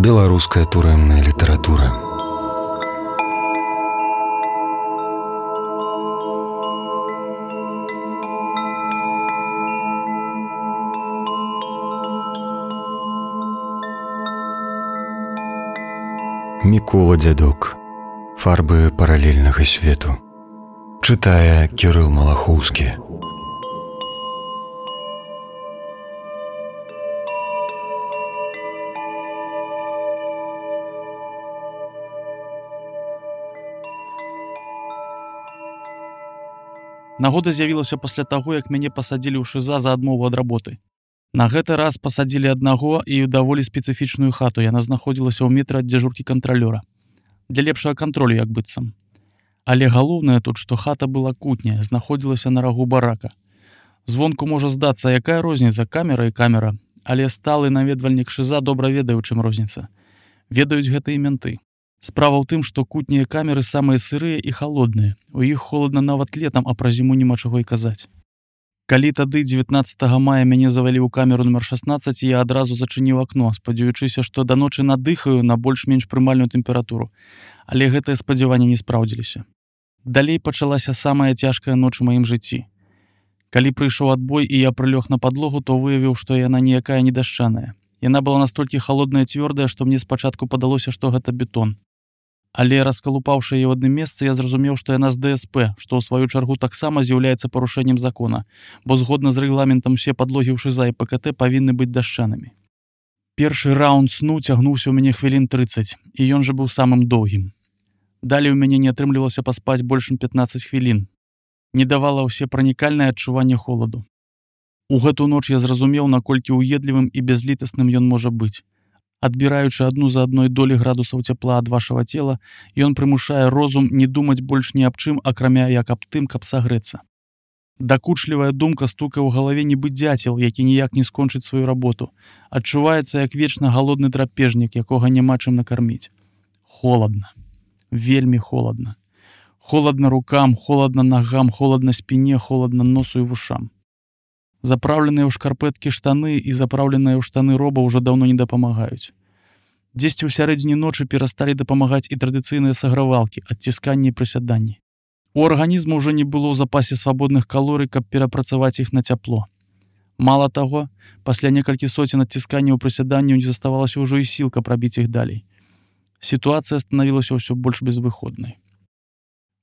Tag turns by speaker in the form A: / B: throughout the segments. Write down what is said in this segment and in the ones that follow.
A: Беларуская турэмная літаратура. Мікола Дзядок. Фарбы паралельнага свету. Чытае Кірыл Малахоўскі.
B: Нагода з'явілася пасля таго, як мяне пасадзілі ў ШИЗА за адмову ад работы. На гэты раз пасадзілі аднаго і ў даволі спецыфічную хату. Яна знаходзілася ў метры ад дзяжуркі кантралёра. Для лепшага кантролю, як быццам. Але галоўнае тут, што хата была кутняя, знаходзілася на рагу барака. Звонку можа здацца, якая розніца, камера і камера, але сталы наведвальнік ШИЗА добра ведае, у чым розніца. Ведаюць гэта і менты. Справа ў тым, што кутнія камеры самыя сырыя і халодныя. У іх холадна нават летам, а пра зіму няма чаго і казаць. Калі тады 19 мая мяне завялі ў камеру нумар 16, я адразу зачыніў акно, спадзяючыся, што да ночы надыхаю на больш-менш прымальную тэмпературу. Але гэтыя спадзяванні не спраўдзіліся. Далей пачалася самая цяжкая ноч у маім жыцці. Калі прыйшоў адбой і я прылёг на падлогу, то выявіў, што яна ніякая не дашчаная. Яна была настолькі халодная і цвёрдая, што мне спачатку падалося, што гэта бетон. Але раскалупаўшы яе ў адным месцы, я зразумеў, што яна з ДСП, што ў сваю чаргу таксама з'яўляецца парушэннем закона, бо згодна з рэгламентам усе падлогі ў ШИЗА і ПКТ павінны быць дашчанымі. Першы раунд сну цягнуўся ў мяне хвілін 30, і ён жа быў самым доўгім. Далей у мяне не атрымлівалася паспаць больш 15 хвілін. Не давала ўсепранікальнае адчуванне холаду. У гэту ноч я зразумеў, наколькі ўедлівым і бязлітасным ён можа быць. Адбіраючы адну за адной долі градусаў цяпла ад вашага цела, ён прымушае розум не думаць больш ні аб чым, акрамя як аб тым, каб сагрэцца. Дакучлівая думка стукае ў галаве нібы дзяцел, які ніяк не скончыць сваю работу. Адчуваецца як вечна галодны драпежнік, якога няма чым накарміць. Холадна. Вельмі холадна. Холадна рукам, холадна нагам, холадна спіне, холадна носу і вушам. Запраўленыя ў шкарпэткі штаны і запраўленыя ў штаны роба ўжо даўно не дапамагаюць. Дзесьці ў сярэдзіне ночы перасталі дапамагаць і традыцыйныя сагравалкі, адцісканні і прысяданні. У арганізму ўжо не было ў запасе свабодных калорый, каб перапрацаваць іх на цяпло. Мала таго, пасля некалькі соцень адцісканняў і прысяданняў не заставалася ўжо і сіл, каб рабіць іх далей. Сітуацыя станавілася ўсё больш безвыходнай.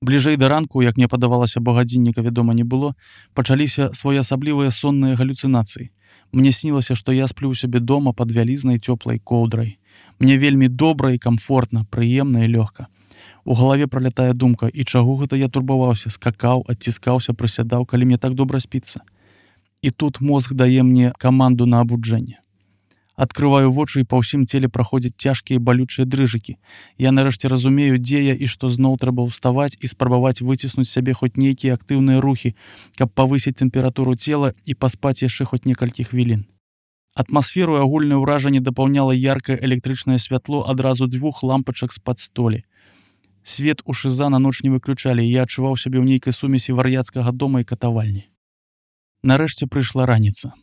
B: Бліжэй да ранку, як мне падавалася, бо гадзінніка, вядома, не было, пачаліся своеасаблівыя сонныя галюцынацыі. Мне снілася, што я сплю ў сябе дома пад вялізнай цёплай коўдрай. Мне вельмі добра і камфортна, прыемна і лёгка. У галаве пралятае думка, і чаго гэта я турбаваўся, скакаў, адціскаўся, прысядаў, калі мне так добра спіцца. І тут мозг дае мне каманду на абуджэнне. Адкрываю вочы, і па ўсім целе праходзяць цяжкія балючыя дрыжыкі. Я нарэшце разумею, дзе я і што зноў трэба ўставаць і спрабаваць выціснуць сябе хоць нейкія актыўныя рухі, каб павысіць тэмпературу цела і паспаць яшчэ хоць некалькі хвілін. Атмасферу і агульнае ўражанне дапаўняла яркае электрычнае святло адразу 2 лампачак з-пад столі. Свет у ШИЗА на ноч не выключалі, і я адчуваў сябе ў нейкай сумесі вар'яцкага дома і катавальні. Нарэшце прыйшла раніца.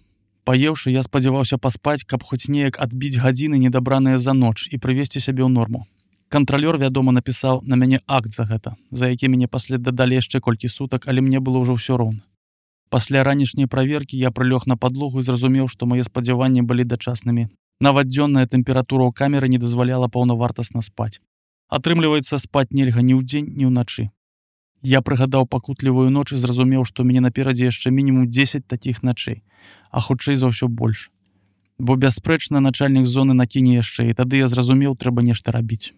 B: Паеўшы, я спадзяваўся паспаць, каб хоць неяк адбіць гадзіны, недабраныя за ноч, і прывесці сябе ў норму. Кантралёр, вядома, напісаў на мяне акт за гэта, за які мяне пасля дадалі яшчэ колькі сутак, але мне было ўжо ўсё роўна. Пасля ранішняй праверкі я прылёг на падлогу і зразумеў, што мае спадзяванні былі дачаснымі. Нават дзённая тэмпература ў камеры не дазваляла паўнавартасна спаць. Атрымліваецца, спаць нельга ні ўдзень, ні ўначы. Я прыгадаў пакутлівую ноч і зразумеў, што мяне наперадзе яшчэ мінімум 10 такіх начэй, а хутчэй за ўсё больш. Бо бясспрэчна начальнік зоны накіне яшчэ, і тады я зразумеў, трэба нешта рабіць.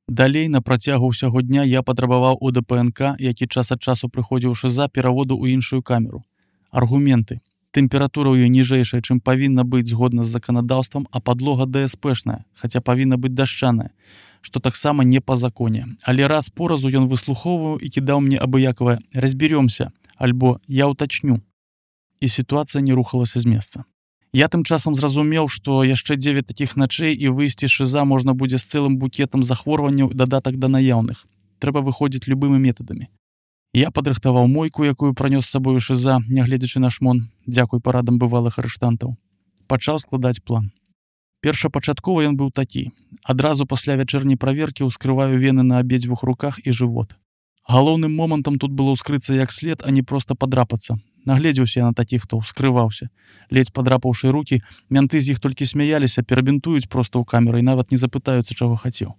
B: Далей, на працягу ўсяго дня я патрабаваў у ДПНК, які час ад часу прыходзіў у ШИЗА, пераводу ў іншую камеру. Аргументы. Тэмпература ў ёй ніжэйшая, чым павінна быць згодна з заканадаўствам, а падлога ДСПшная, хаця павінна быць дашчаная, што таксама не па законе. Але раз поразу ён выслухоўваў і кідаў мне абыякавае «разберёмся» альбо «я ўтачню». І сітуацыя не рухалася з месца. Я тым часам зразумеў, што яшчэ 9 такіх начэй і выйсці з ШИЗА можна будзе з цэлым букетам захворванняў дадатак да наяўных. Трэба выходзіць любымі метадамі. Я падрыхтаваў мойку, якую пранёс з сабою ШИЗА, нягледзячы на шмон, дзякуй парадам бывалых арыштантаў. Пачаў складаць план. Першапачаткова ён быў такі. Адразу пасля вячэрняй праверкі ўскрываю вены на абедзвюх руках і жывот. Галоўным момантам тут было ўскрыцца як след, а не проста падрапацца. Нагледзеўся я на такіх, хто ўскрываўся. Ледзь падрапаўшы рукі, мянты з іх толькі смяяліся, перабінтуюць проста ў камеру і нават не запытаюцца, чаго хацеў.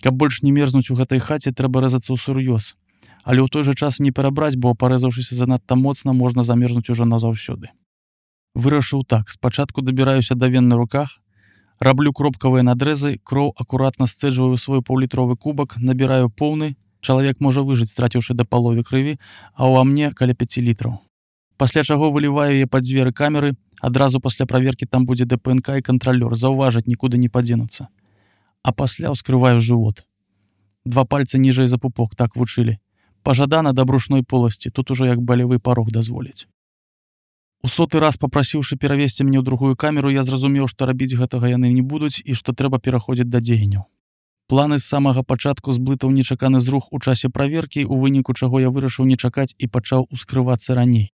B: Каб больш не мерзнуць у гэтай хаце, трэба рэзацца ўсур'ёз. Але ў той жа час не перабраць, бо парэзаўшыся занадта моцна, можна замерзнуць ужо назаўсёды. Вырашыў так. Спачатку дабіраюся да вен на руках, раблю кропкавыя надрэзы, кроў акуратна сцэджваю свой паўлітровы кубак, набіраю поўны, чалавек можа выжыць, страціўшы да паловы крыві, а ў мне каля 5 літраў. Пасля чаго выліваю яе пад дзверы камеры, адразу пасля праверкі там будзе ДПНК і кантралёр, заўважаць нікуды не падзенуцца. А пасля ўскрываю жывот. 2 пальцы ніжэй за пупок, так вучылі. Пажадана да брушной поласці, тут ужо як балевы парог дазволіць. У 100-й раз папрасіўшы перавесці мне ў другую камеру, я зразумеў, што рабіць гэтага яны не будуць і што трэба пераходзіць да дзеянняў. Планы з самага пачатку зблытаў нечаканы зрух у часе праверкі, у выніку чаго я вырашыў не чакаць і пачаў ускрывацца раней.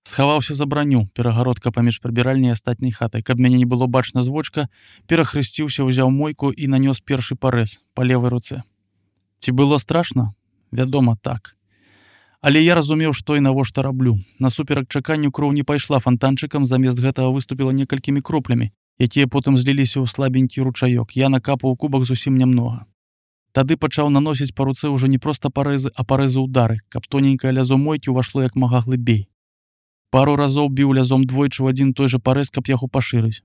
B: Схаваўся за браню, перагародка паміж прыбіральняй і астатняй хатай. Каб мяне не было бачна з вочка, перахрысціўся, узяў мойку і нанёс першы парэз па левай руцэ. Ці было страшна? Вядома, так. Але я разумеў, што і навошта раблю. Насуперак чаканню кроў не пайшла фантанчыкам, замест гэтага выступіла некалькімі кроплямі, якія потым зліліся ў слабенькі ручаёк. Я накапаў кубак зусім нямнога. Тады пачаў наносіць па руцэ ўжо не проста парэзы, а парэзы ўдары, каб тоненькае лязо мойкі ўвашло як мага глыбей. Пару разоў біў лязом двойчы ў адзін той жа парэз, каб яго пашырыць.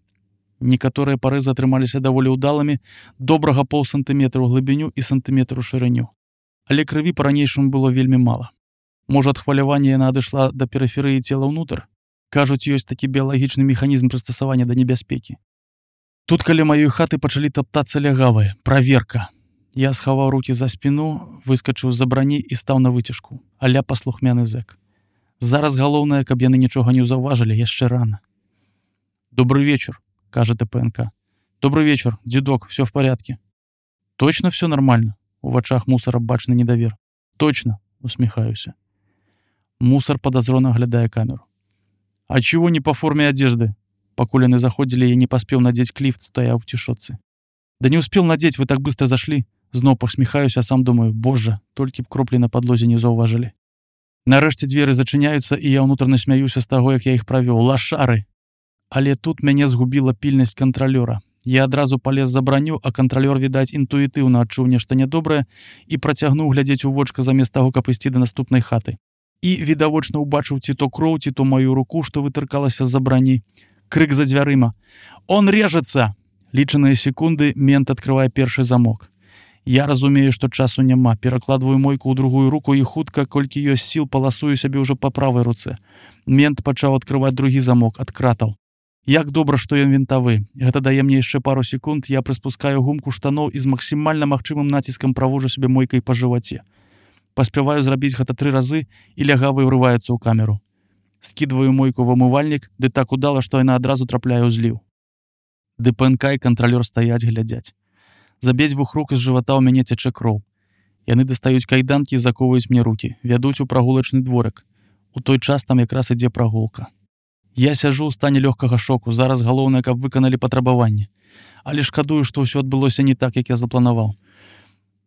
B: Некаторыя парэзы атрымаліся даволі ўдалымі, добрага паўсантыметра ў глыбіню і сантыметр у шырыню. Але крыві па-ранейшаму было вельмі мала. Можа, ад хвалявання яна адышла да перыферыі цела ўнутр? Кажуць, ёсць такі біялагічны механізм прыстасавання да небяспекі. Тут каля маёй хаты пачалі таптацца лягавыя. Праверка. Я схаваў рукі за спіну, выскачыў з-за брані і стаў на выцяжку. Аля паслухмяны зэк. Зараз галоўнае, каб яны нічога не заўважылі, яшчэ рана. «Добрый вечер», — кажа ТПНК. «Добрый вечер, дедок, все в порядке». «Точно все нормально?» У вачах мусора бачны недавер. «Точно», — усміхаюся. Мусор подозрительно оглядая камеру. «А чего не по форме одежды?» Покуль они заходили, я не поспел надеть клифт, стоя в тишоце. «Да не успел надеть, вы так быстро зашли». Знов посміхаюся, а сам думаю, боже, толькі б кроплі на падлозе не заўважылі. Нарэшце дзверы зачыняюцца, і я ўнутрана смяюся з таго, як я іх правёў. Лашары! Але тут мяне згубіла пільнасць кантралёра. Я адразу палез за браню, а кантралёр, відаць, інтуітыўна адчуў нешта нядобрае і працягнуў глядзець у вочка замест таго, каб ісці да наступнай хаты. І відавочна ўбачыў ці то кроў, ці то маю руку, што вытыркалася з-за брані. Крык за дзвярыма. «Он режется!» Лічаныя секунды мент адкрывае першы замок. Я разумею, што часу няма. Перакладваю мойку ў другую руку і хутка, колькі ёсць сіл, паласую сябе ўжо па правай руцэ. Мент пачаў адкрываць другі замок, ад кратаў. Як добра, што ён вінтавы. Гэта дае мне яшчэ пару секунд, я прыспускаю гумку штаноў і з максімальна магчымым націскам правожу сябе мойкай па жываце. Паспяваю зрабіць гэта 3 разы, і лягавы ўрываецца ў камеру. Скідваю мойку в умывальнік, ды так удала, што яна адразу трапляе ў зліў. ДПНК і кантралёр стаяць, глядзяць. З абедзвюх рук з жывата ў мяне цячэ кроў. Яны дастаюць кайданкі і заковваюць мне рукі, вядуць у прагулачны дворык. У той час там якраз ідзе прагулка. Я сяжу ў стане лёгкага шоку, зараз галоўнае, каб выканалі патрабаванне. Але шкадую, што ўсё адбылося не так, як я запланаваў.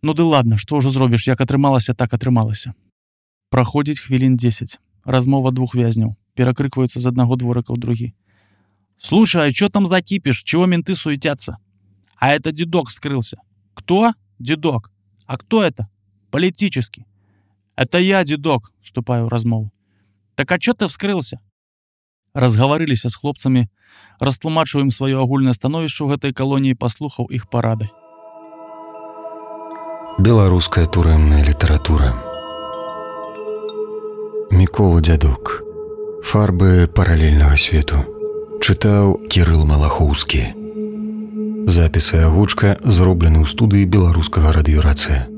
B: Ну ды ладно, што ўжо зробіш, як атрымалася, так атрымалася. Праходзіць хвілін 10. Размова 2 вязняў. Перакрыкваюцца з аднаго дворыка ў другі. «Слушай, а чё там за кипиш? Чего менты суетятся?» «А это дедок скрылся». «Кто?» «Дедок». «А кто это?» «Политический». «Это я, дедок», — вступаю в размову. «Так а чё ты вскрылся?» Разгаварыліся з хлопцамі, растлумачыў ім сваё агульнае становішча ў гэтай калоніі, паслухаў іх парады.
A: Беларуская турэмная літаратура. Мікола Дзядок. Фарбы паралельнага свету. Чытаў Кірыл Малахоўскі. Запіс і агучка зроблены ў студыі беларускага радыёрацыя.